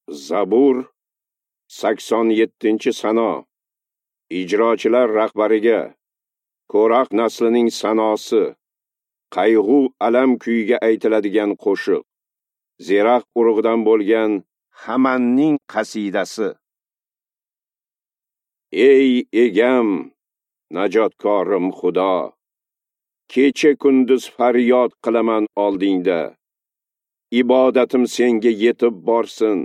Zabur 87-sano. Ijrochilar rahbariga Ko'raq naslining sanosi, qayg'u alam kuyiga aytiladigan qo'shiq. Zerax urug'idan bo'lgan Hamanning qasidasi. Ey egam, najotkorim Xudo, kecha kunduz faryod qilaman oldingda. Ibodatim senga yetib borsin.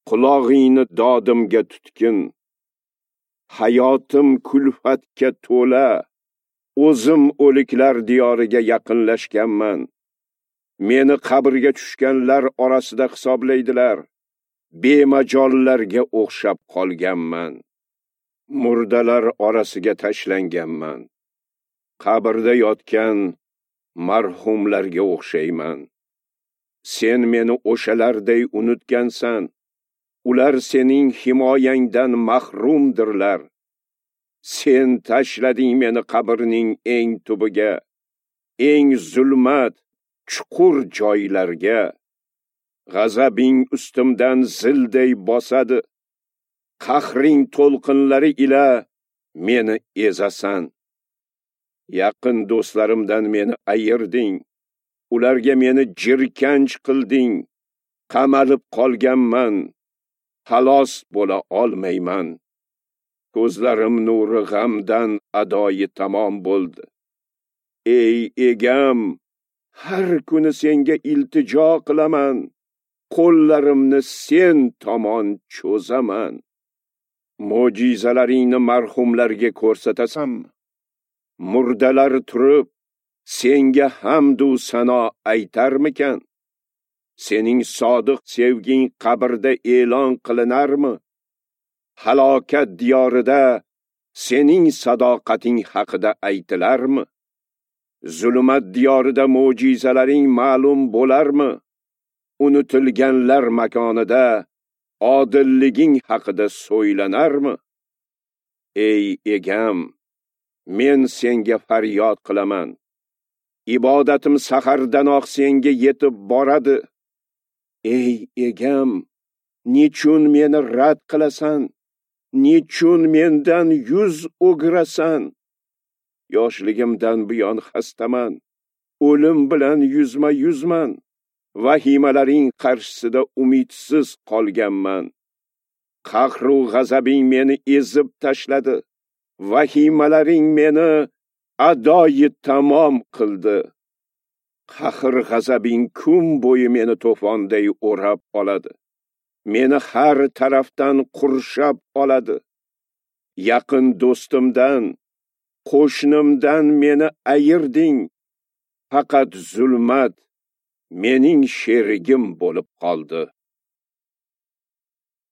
Qulog'ingni dodimga tutgin. Hayotim kulfatga to'la. O'zim o'liklar diyoriga yaqinlashganman. Meni qabrga tushganlar orasida hisoblaydilar. Bemajollarga o'xshab qolganman. Murdalar orasiga tashlanganman. Qabrda yotgan marhumlarga o'xshayman. Sen meni o'shalarday unutgansan. Ular sening himoyangdan mahrumdirlar. Sen tashlading meni qabrning eng tubiga, eng zulmat, chuqur joylarga. G'azabing ustimdan zilday bosadi. Qahring to'lqinlari ila meni ezasan. Yaqin do'stlarimdan meni ayirding. Ularga meni jirkanch qilding. Qamalib qolganman. Xalos bo'la olmayman. Ko'zlarim nuri g'amdan adoyi tamom bo'ldi. Ey egam, har kuni senga iltijo qilaman. Qo'llarimni sen tomon cho'zaman. Mo'jizalaringni marhumlarga ko'rsatasanmi? Murdalar turib senga hamd u sano aytarmikan? Sening sodiq sevging qabrda e'lon qilinarmi? Halokat diyorida sening sadoqating haqida aytilarmi? Zulmat diyorida mo'jizalaring ma'lum bo'larmi? Unutilganlar makonida odilliging haqida so'ylanarmi? Ey egam, men senga faryod qilaman. Ibodatim sahardanoq senga yetib boradi. Ey egam, nechun meni rad qilasan? Nechun mendan yuz o'girasan? Yoshligimdan buyon xastaman. O'lim bilan yuzma-yuzman. Vahimalaring qarshisida umidsiz qolganman. Qahru g'azabing meni ezib tashladi. Vahimalaring meni adoyi tamom qildi. Qahr g'azabing kun bo'yi meni to'fonday o'rab oladi. Meni har tarafdan qurshab oladi. Yaqin do'stimdan, qo'shnimdan meni ayirding. Faqat zulmat mening sherigim bo'lib qoldi.